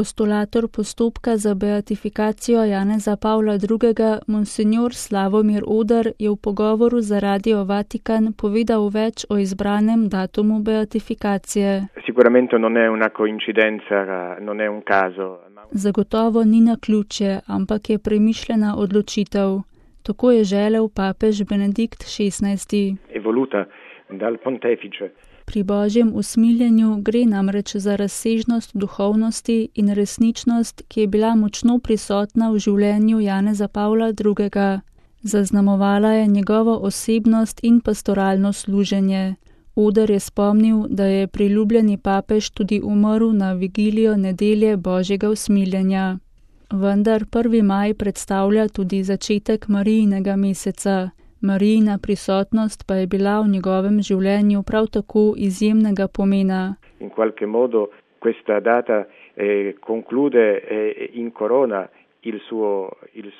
Postulator postopka za beatifikacijo Janeza Pavla II. Monsignor Slavomir Oder je v pogovoru za Radio Vatikan povedal več o izbranem datumu beatifikacije. Sicuramente non è una coincidenza, non è un caso. Zagotovo ni naključje, ampak je premišljena odločitev. Tako je želel papež Benedikt XVI. Evoluta dal pontefice. Pri božjem usmiljenju gre namreč za razsežnost duhovnosti in resničnost, ki je bila močno prisotna v življenju Janeza Pavla II. Zaznamovala je njegovo osebnost in pastoralno služenje. Oder je spomnil, da je priljubljeni papež tudi umrl na vigilijo nedelje božjega usmiljenja. Vendar 1. maj predstavlja tudi začetek Marijinega meseca. Marijina prisotnost pa je bila v njegovem življenju prav tako izjemnega pomena. In qualche modo questa data conclude in corona il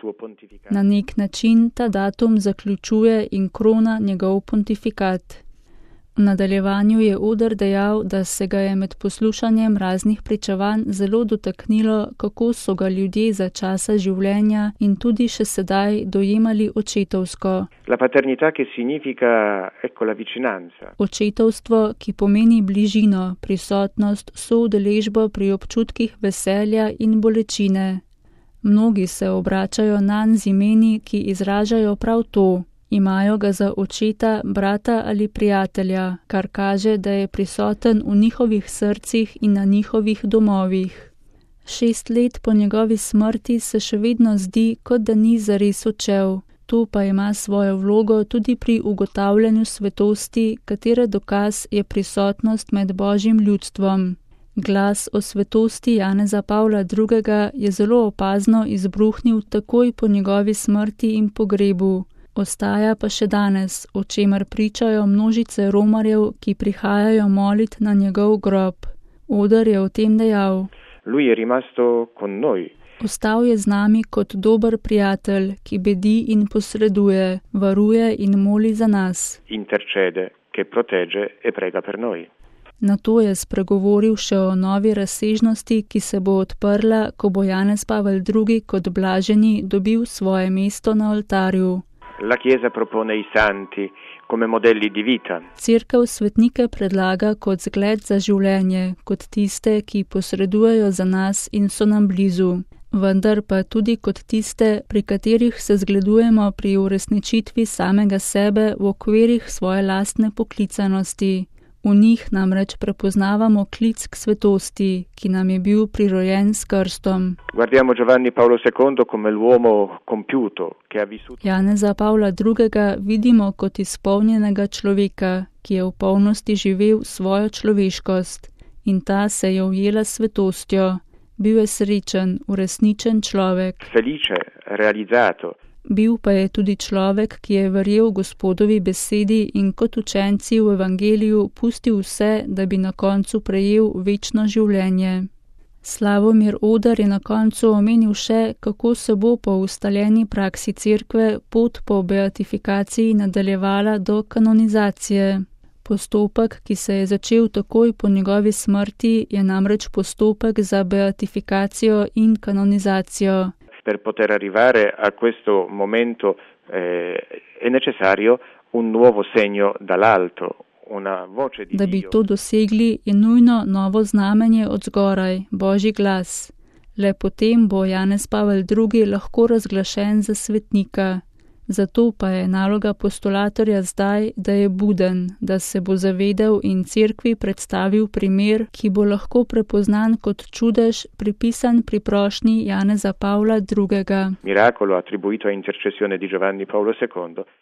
suo pontificato. Na nek način ta datum zaključuje in krona njegov pontifikat. V nadaljevanju je Oder dejal, da se ga je med poslušanjem raznih pričevanj zelo dotaknilo, kako so ga ljudje za časa življenja in tudi še sedaj dojemali očetovsko. La paternità che significa, ecco, la vicinanza. Očetovstvo, ki pomeni bližino, prisotnost, soudeležbo pri občutkih veselja in bolečine. Mnogi se obračajo nanj z imeni, ki izražajo prav to. Imajo ga za očeta, brata ali prijatelja, kar kaže, da je prisoten v njihovih srcih in na njihovih domovih. 6 let po njegovi smrti se še vedno zdi, kot da ni zares odšel. To pa ima svojo vlogo tudi pri ugotavljanju svetosti, katere dokaz je prisotnost med božjim ljudstvom. Glas o svetosti Janeza Pavla II. Je zelo opazno izbruhnil takoj po njegovi smrti in pogrebu. Ostaja pa še danes, o čemer pričajo množice romarjev, ki prihajajo molit na njegov grob. Oder je o tem dejal: Lui è rimasto con noi. Ostal je z nami kot dober prijatelj, ki bedi in posreduje, varuje in moli za nas. Intercede, che protegge e prega per noi. Nato je spregovoril še o novi razsežnosti, ki se bo odprla, ko bo Janez Pavel II. Kot blaženi dobil svoje mesto na oltarju. La Chiesa propone i santi come modelli di vita. Cerkev svetnike predlaga kot zgled za življenje, kot tiste, ki posredujejo za nas in so nam blizu. Vendar pa tudi kot tiste, pri katerih se zgledujemo pri uresničitvi samega sebe v okvirih svoje lastne poklicanosti. V njih namreč prepoznavamo klic k svetosti, ki nam je bil prirojen s krstom. Guardiamo Giovanni Paolo II come l'uomo compiuto, che ha vissuto. Janeza Pavla II. Vidimo kot izpolnjenega človeka, ki je v polnosti živel svojo človeškost. In ta se je ujela s svetostjo. Bil je srečen, uresničen človek. Felice, realizzato. Bil pa je tudi človek, ki je verjel Gospodovi besedi in kot učenci v evangeliju pustil vse, da bi na koncu prejel večno življenje. Slavomir Oder je na koncu omenil še, kako se bo po ustaljeni praksi cerkve pot po beatifikaciji nadaljevala do kanonizacije. Postopek, ki se je začel takoj po njegovi smrti, je namreč postopek za beatifikacijo in kanonizacijo. Per poter arrivare a questo momento è necessario un nuovo segno dall'alto, una voce di Dio. Da bi to dosegli, je nujno novo znamenje od zgoraj, Božji glas. Le potem bo Janez Pavel II. Lahko razglašen za svetnika. Zato pa je naloga postulatorja zdaj, da je buden, da se bo zavedel in cerkvi predstavil primer, ki bo lahko prepoznan kot čudež, pripisan pri prošnji Janeza Pavla II. Miracolo attribuito a intercessione di Giovanni Paolo II.